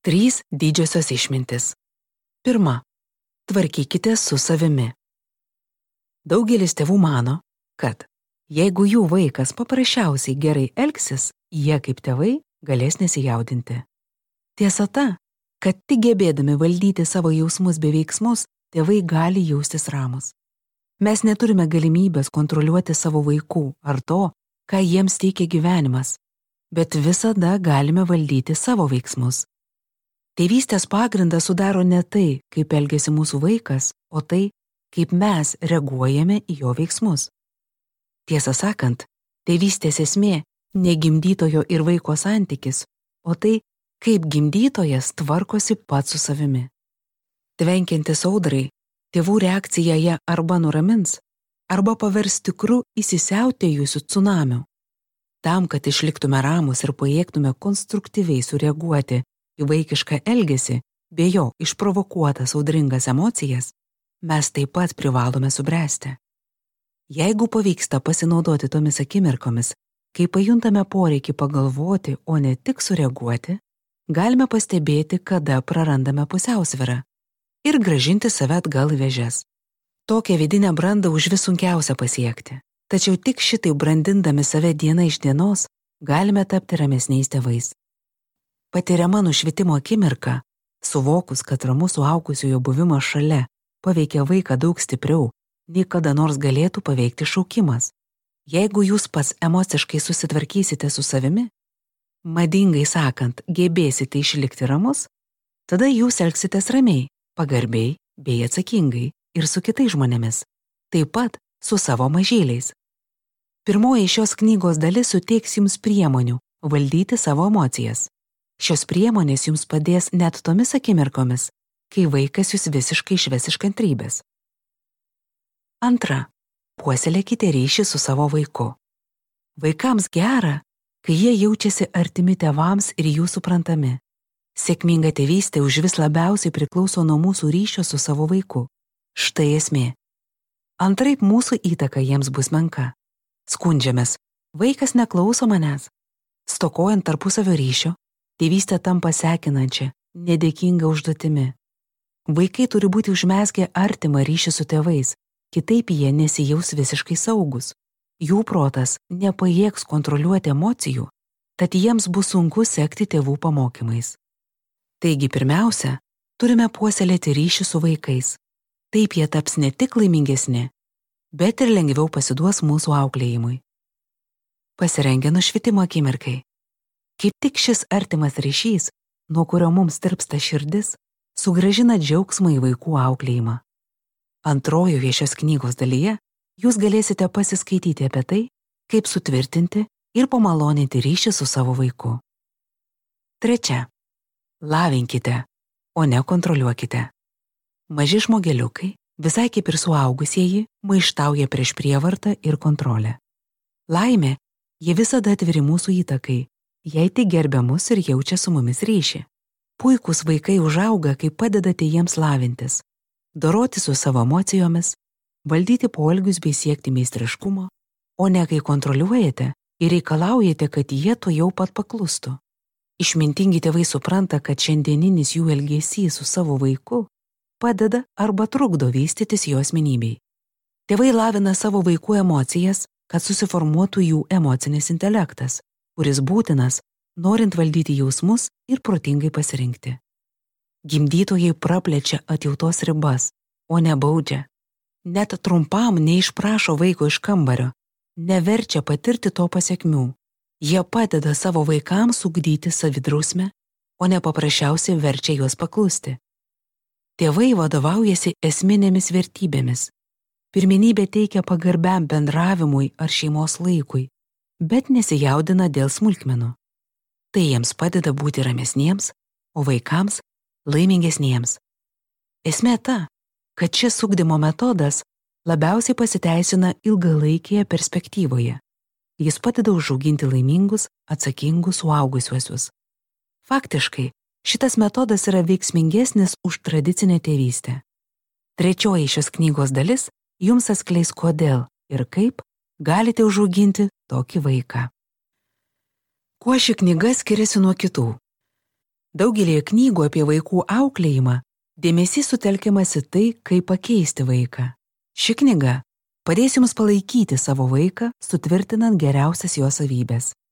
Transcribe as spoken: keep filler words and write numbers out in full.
Trys didžiosios išmintis. Pirma. Tvarkykite su savimi. Daugelis tėvų mano, kad jeigu jų vaikas paprasčiausiai gerai elgsis, jie kaip tėvai galės nesijaudinti. Tiesa ta, kad tik gebėdami valdyti savo jausmus bei veiksmus, tėvai gali jaustis ramus. Mes neturime galimybės kontroliuoti savo vaikų ar to, ką jiems teikia gyvenimas, bet visada galime valdyti savo veiksmus. Tėvystės pagrindą sudaro ne tai, kaip elgiasi mūsų vaikas, o tai, kaip mes reaguojame į jo veiksmus. Tiesą sakant, tėvystės esmė ne gimdytojo ir vaiko santykis, o tai, kaip gimdytojas tvarkosi pats su savimi. Tvenkiantis audrai, tėvų reakcija ją arba nuramins, arba pavers tikru įsisiautėjusiu tsunamiu. Tam, kad išliktume ramus ir pajėgtume konstruktyviai sureaguoti į vaikišką elgesį, bei jo išprovokuotas audringas emocijas, mes taip pat privalome subręsti. Jeigu pavyksta pasinaudoti tomis akimirkomis, kai pajuntame poreikį pagalvoti, o ne tik sureaguoti, galime pastebėti, kada prarandame pusiausvyrą ir grąžinti save atgal į vėžes. Tokią vidinę brandą užvis sunkiausia pasiekti, tačiau tik šitai brandindami save diena iš dienos galime tapti ramesniais tėvais. Patiriama nušvitimo akimirka, suvokus, kad ramus suaugusiojo buvimas šalia paveikia vaiką daug stipriau, nei kada nors galėtų paveikti šaukimas. Jeigu jūs pats emociškai susitvarkysite su savimi, madingai sakant, gebėsite išlikti ramus, tada jūs elgsitės ramiai, pagarbiai bei atsakingai ir su kitais žmonėmis, taip pat su savo mažyliais. Pirmoji šios knygos dalis suteiks jums priemonių valdyti savo emocijas. Šios priemonės jums padės net tomis akimirkomis, kai vaikas jūs visiškai išves iš kantrybės. Antra. Puoselėkite ryšį su savo vaiku. Vaikams gera, kai jie jaučiasi artimi tėvams ir jų suprantami. Sėkminga tėvystė užvis labiausiai priklauso nuo mūsų ryšio su savo vaiku. Štai esmė. Antraip mūsų įtaka jiems bus menka. Skundžiamės, vaikas neklauso manęs. Stokojant tarpusavio ryšio, tėvystė tampa sekinančia, nedėkinga užduotimi. Vaikai turi būti užmezgę artimą ryšį su tėvais, kitaip jie nesijaus visiškai saugus. Jų protas nepajėgs kontroliuoti emocijų, tad jiems bus sunku sekti tėvų pamokymais. Taigi pirmiausia, turime puoselėti ryšį su vaikais. Taip jie taps ne tik laimingesni, bet ir lengviau pasiduos mūsų auklėjimui. Pasirengę nušvitimo akimirkai. Kaip tik šis artimas ryšys, nuo kurio mums tirpsta širdis, sugrąžina džiaugsmą į vaikų auklėjimą. Antrojoje šios knygos dalyje jūs galėsite pasiskaityti apie tai, kaip sutvirtinti ir pamaloninti ryšį su savo vaiku. Trečia. Lavinkite, o ne kontroliuokite. Maži žmogeliukai, visai kaip ir suaugusieji, maištauja prieš prievartą ir kontrolę. Laimė, jie visada atviri mūsų įtakai, jei tik gerbia mus ir jaučia su mumis ryšį. Puikūs vaikai užauga, kai padedate jiems lavintis, doroti su savo emocijomis, valdyti poelgius bei siekti meistriškumo, o ne kai kontroliuojate ir reikalaujate, kad jie to jau pat paklustų. Išmintingi tėvai supranta, kad šiandieninis jų elgesys su savo vaiku padeda arba trukdo vystytis jo asmenybei. Tėvai lavina savo vaikų emocijas, kad susiformuotų jų emocinis intelektas, kuris būtinas, norint valdyti jausmus ir protingai pasirinkti. Gimdytojai praplečia atjautos ribas, o ne baudžia. Net trumpam neišprašo vaiko iš kambario, neverčia patirti to pasekmių. Jie padeda savo vaikams ugdyti savidrausmę, o ne paprasčiausiai verčia juos paklusti. Tėvai vadovaujasi esminėmis vertybėmis. Pirmenybė teikia pagarbiam bendravimui ar šeimos laikui, bet nesijaudina dėl smulkmenų. Tai jiems padeda būti ramesniems, o vaikams laimingesniems. Esmė ta, kad šis ugdymo metodas labiausiai pasiteisina ilgalaikėje perspektyvoje. Jis padeda užauginti laimingus, atsakingus suaugusiuosius. Faktiškai, šitas metodas yra veiksmingesnis už tradicinę tėvystę. Trečioji šios knygos dalis jums atskleis kodėl ir kaip galite užauginti tokį vaiką. Kuo ši knyga skiriasi nuo kitų? Daugelį knygų apie vaikų auklėjimą dėmesys sutelkiamas į tai, kaip pakeisti vaiką. Ši knyga padės jums palaikyti savo vaiką, sutvirtinant geriausias jo savybės.